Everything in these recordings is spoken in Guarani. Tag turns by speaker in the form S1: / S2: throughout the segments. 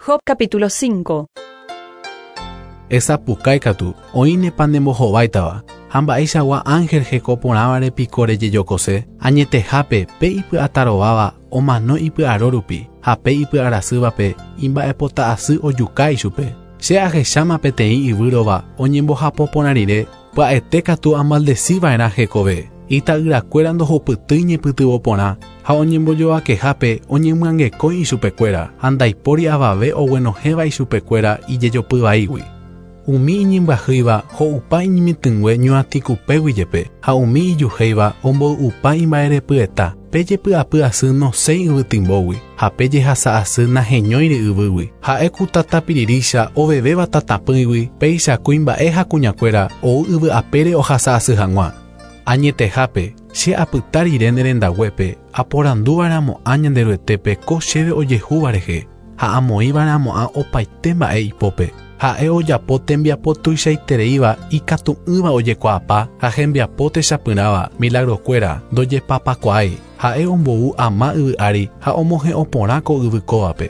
S1: Job capítulo 5.
S2: Esapukái katu, oĩnepa nembohováitava, ha mba'eichagua ángel heko porãvare piko rejejokose? Añetehápe pe ipy'atarováva omano ipy'aro rupi, ha pe ipy'arasývape imba'epota'asy ojuka ichupe. Che ahecháma peteĩ yvýrova oñembohapo porã rire, pya'ete katu amaldesiva'erã hekove. Ita'yrakuéra ndohupytýi ñepytyvõ porã ha oñembojovakehápe oñemyangekói ichupekuéra ha ndaipóri avave oguenohẽva ichupekuéra ijejopy vaígui. Umi iñembyahýiva ho'upa iñemitỹngue ñuatĩkupégui jepe ha umi ijuhéiva omboy'upa imba'erepyeta. Pe jepy'apy asy nosẽi yvytimbógui ha pe jehasa asy naheñóiri yvýgui. Ha'e ku tata pirirícha ovevéva tatapỹigui péicha kuimba'e ha kuñakuéra ou yvy apére ohasa asy hag̃ua. Añetehápe, che apyta rire ne rendaguépe, aporanduva'erãmo'ã Ñanderuetépe ko chéve ojehúva rehe, ha amoĩva'erãmo'ã opaite mba'e ipópe. Ha'e ojapo tembiapo tuichaitereíva ikatu'ỹva ojekuaapa ha hembiapo techapyrãva, milagrokuéra, ndojepapakuaái. Ha'e ombou ama yvy ári ha omohe'õ porã ko yvy kóvape.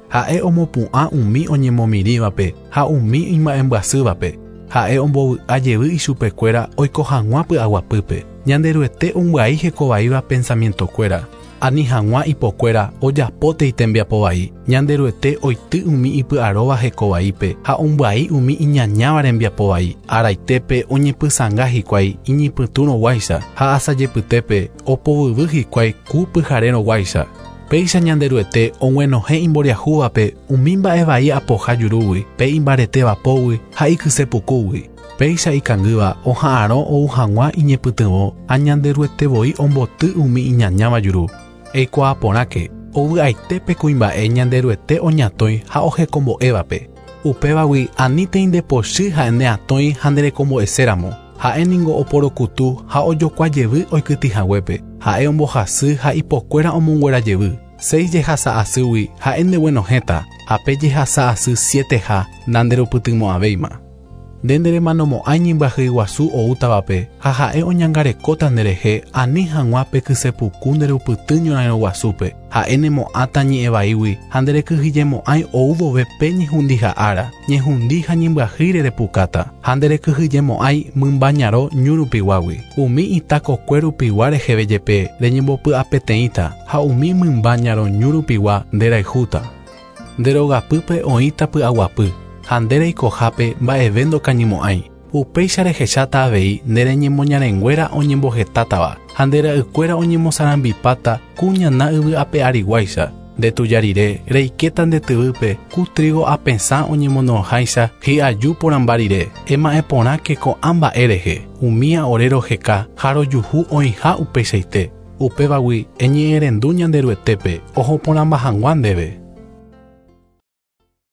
S2: Ha'e omopu'ã umi oñemomirĩvape ha umi imba'embyasývape. Ha'e ombovy'a jevy ichupekuéra oiko hag̃ua py'aguapýpe. Ñanderuete ombyai hekovaíva pensamientokuéra, ani hag̃ua ipokuéra ojapótei tembiapo vai. Ñanderuete oity umi ipy'aróva hekovaípe ha ombyai umi iñañáva rembiapo vai. Araitépe oñepysãnga hikuái iñypytũrõguáicha ha asajepytépe opovyvy hikuái ku pyharérõguáicha. Péicha Ñanderuete og̃uenohẽ imboriahúvape umi mba'e vai apoha jurúgui, pe imbaretéva pógui ha ikysepukúgui. Péicha ikangýva oha'arõ ou hag̃ua iñepytyvõ ha Ñanderuete voi omboty umi iñañáva juru. Eikuaa porãke, ovy'aite pe kuimba'e Ñanderuete oñatõi ha ohekombo'évape. Upévagui anítei nde pochy ha'e ne atõi ha nderekombo'eséramo. Ha'e ningo oporokutu ha ojokua jevy oikytĩ haguépe. Ha'e ombohasy ha ipokuéra omonguera jevy. Seis jehasa asýgui ha'e ndeguenohẽta, ha pe jehasa asy sieteha nanderupytymo'ãvéima. Nde neremanomo'ãi ñembyahýi guasu oútavape ha ha'e oñangarekóta nderehe ani hag̃ua pe kysepuku nderupyty ñorairõ guasúpe. Ha'e nemo'ãta ñe'ẽ vaígui ha nderekyhyjemo'ãi ou vove pe ñehundiha ára, ñehundi ha ñembyahýire repukáta, ha nderekyhyjemo'ãi mymba ñarõ ñu rupiguágui. Umi ita kokue rupigua reheve jepe reñembopy'apeteĩta ha umi mymba ñarõ ñu rupigua nderayhúta. Nde rogapýpe oĩta py'aguapy, ha nde reikohápe mba'eve ndokañymo'ãi. Upéicha rehecháta avei ne reñemoñarenguéra oñembohetátava, ha nde ra'ykuéra oñemosarambipáta ku ñana yvy ape ariguáicha. Nde tuja rire, reikéta nde tyvýpe ku trígo apesã oñemono'õháicha hi'aju porãmba rire. Ema'ẽ porãke ko'ã mba'e rehe, umía ore roheka ha rojuhu oĩha upeichaite. Upévagui eñe'ẽrendu Ñanderuetépe oho porãmba hag̃ua ndéve.